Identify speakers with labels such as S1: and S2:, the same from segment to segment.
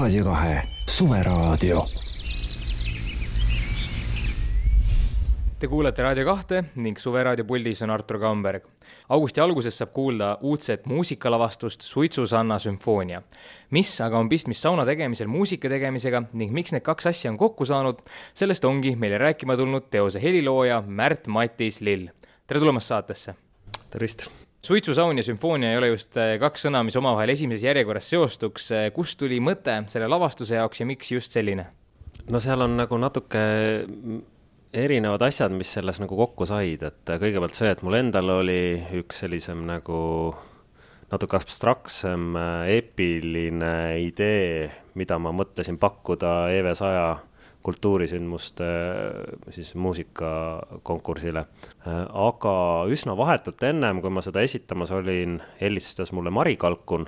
S1: Raadio 2 Suveraadio.
S2: Te kuulete Raadio 2 ning Suveraadio puldis on Artur Kamberg. Augusti alguses saab kuulda uudset muusikalavastust Suitsusanna sümfoonia. Mis aga on pistmist sauna tegemisel muusika tegemisega ning miks need kaks asja on kokku saanud, sellest ongi meile rääkima tulnud teose helilooja Märt-Matis Lill. Tere tulemast saatesse.
S3: Tervist.
S2: Suitsusaun ja sümfoonia ei ole just kaks sõna, mis omavahel esimeses järjekorras seostuks. Kust tuli mõte selle lavastuse jaoks ja miks just selline?
S3: No seal on nagu natuke erinevad asjad, mis selles nagu kokku said, et kõigepealt see, et mul endal oli üks sellisem nagu natuke abstraktsem eepiline idee, mida ma mõtlesin pakkuda EV100 kultuurisündmuste siis muusikakonkursile. Aga üsna vahetult ennem, kui ma seda esitamas olin, helistas mulle Mari Kalkun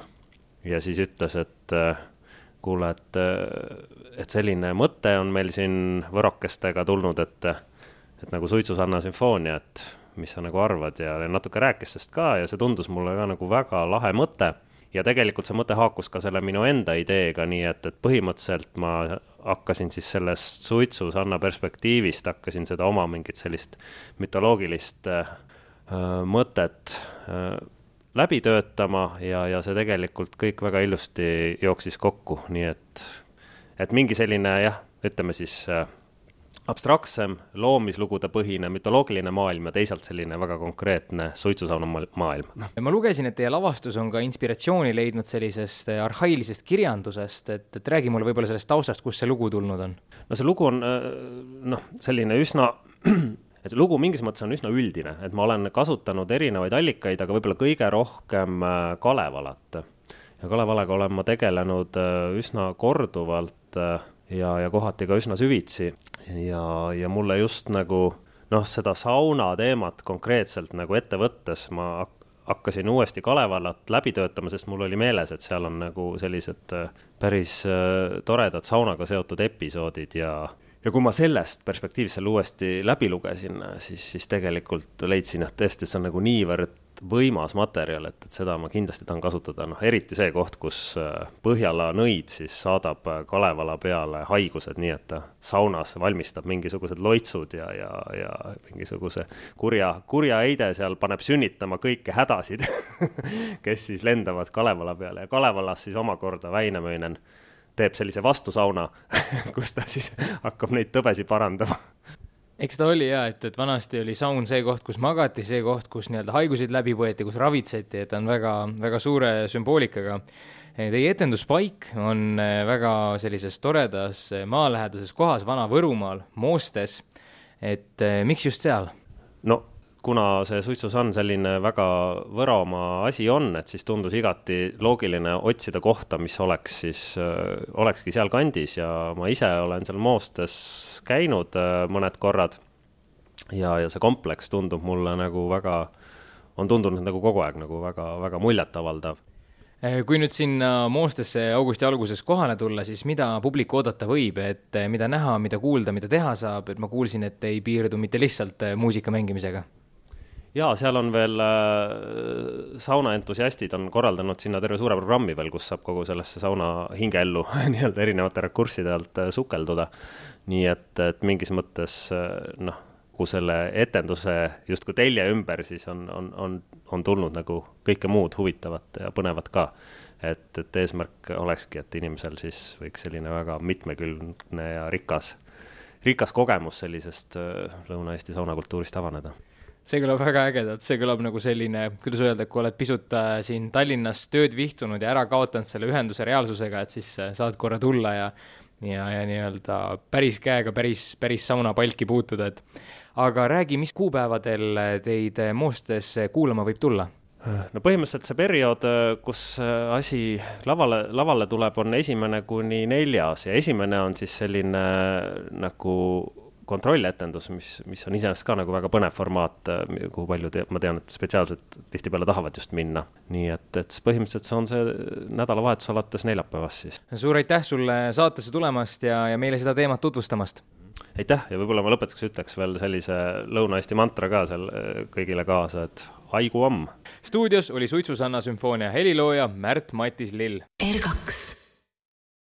S3: ja siis ütles, et kuule, et selline mõte on meil siin võrokestega tulnud, et nagu Suitsusanna sümfoonia, et mis sa nagu arvad ja natuke rääkis sest ka ja see tundus mulle ka nagu väga lahe mõte ja tegelikult see mõte haakus ka selle minu enda ideega, nii et põhimõtteliselt ma hakkasin siis sellest Suitsusanna perspektiivist, hakkasin seda oma mingit sellist mütoloogilist mõtet läbi töötama ja see tegelikult kõik väga ilusti jooksis kokku, nii et mingi selline, ütleme siis abstraktsem, loomislugude põhine, mütoloogiline maailm ja teisalt selline väga konkreetne Suitsusauna maailm.
S2: Ma lugesin, et teie lavastus on ka inspiratsiooni leidnud sellisest arhailisest kirjandusest, et räägi mulle võib-olla sellest taustast, kus see lugu tulnud on.
S3: No see lugu on selline üsna et lugu mingis mõttes on üsna üldine, et ma olen kasutanud erinevaid allikaid, aga võib-olla kõige rohkem Kalevalat. Ja Kalevalaga olen ma tegelenud üsna korduvalt ja kohati ka üsna süvitsi ja mulle just nagu seda sauna teemat konkreetselt nagu ette võttes ma hakkasin uuesti Kalevalat läbi töötama, sest mul oli meeles, et seal on nagu sellised päris toredad saunaga seotud episoodid ja kui ma sellest perspektiivist selle uuesti läbi lugesin, siis tegelikult leidsin, et tõesti see on nagu niivõrd võimas materjal, et seda ma kindlasti tahan kasutada. Eriti see koht, kus Põhjala nõid siis saadab Kalevala peale haigused, nii et ta saunas valmistab mingisugused loitsud ja mingisuguse kurja eide seal paneb sünnitama kõike hädasid, kes siis lendavad Kalevala peale ja Kalevalas siis omakorda Väinamöinen teeb sellise vastusauna, kus ta siis hakkab neid tõbesi parandama.
S2: Eks ta oli et vanasti oli saun see koht, kus magati, see koht, kus nii-öelda haigusid läbi võeti, kus ravitseti, et on väga, väga suure sümboolikaga. Teie etenduspaik on väga sellises toredas maalähedases kohas Vana-Võrumaal, Moostes, et miks just seal?
S3: No kuna see Suitsusann selline väga Võromaa asi on, et siis tundus igati loogiline otsida kohta, mis olekski seal kandis ja ma ise olen seal Moostes käinud mõned korrad ja see kompleks tundub mulle nagu on tundunud nagu kogu aeg nagu väga, väga muljetavaldav.
S2: Kui nüüd sinna Moostesse augusti alguses kohale tulla, siis mida publik oodata võib, et mida näha, mida kuulda, mida teha saab, et ma kuulsin, et ei piirdu mitte lihtsalt muusika mängimisega?
S3: Jaa, seal on veel saunaentusiastid on korraldanud sinna terve suure programmi veel, kus saab kogu sellesse sauna hingeellu nii-öelda erinevate rekursside alt sukelduda. Nii et mingis mõttes kui selle etenduse justkui telje ümber, siis on tulnud nagu kõike muud huvitavat ja põnevat ka. Et eesmärk olekski, et inimesel siis võiks selline väga mitmekülgne ja rikas kogemus sellisest Lõuna-Eesti saunakultuurist avaneda.
S2: See kõlab väga ägedalt, see kõlab nagu selline, kuidas öelda, kui oled pisut siin Tallinnas tööd vihtunud ja ära kaotanud selle ühenduse reaalsusega, et siis saad korra tulla ja nii-öelda päris käega päris saunapalki puutuda. Aga räägi, mis kuupäevadel teid Moostes kuulama võib tulla?
S3: No põhimõtteliselt see periood, kus asi lavale tuleb, on 1. kuni 4. ja 1. on siis selline nagu kontrolletendus, mis on iseenesest ka nagu väga põnev formaat, kuhu palju ma tean, et spetsiaalselt tihtipeale tahavad just minna. Nii et põhimõtteliselt see on see nädalavahetus alates neljapäevast siis.
S2: Suur aitäh sulle saatesse tulemast ja meile seda teemat tutvustamast.
S3: Aitäh ja võib-olla ma lõpetuseks ütleks veel sellise Lõuna-Eesti mantra ka seal kõigile kaasa, et haigu amm.
S2: Stuudios oli Suitsusanna sümfoonia helilooja Märt-Matis Lill.
S4: R2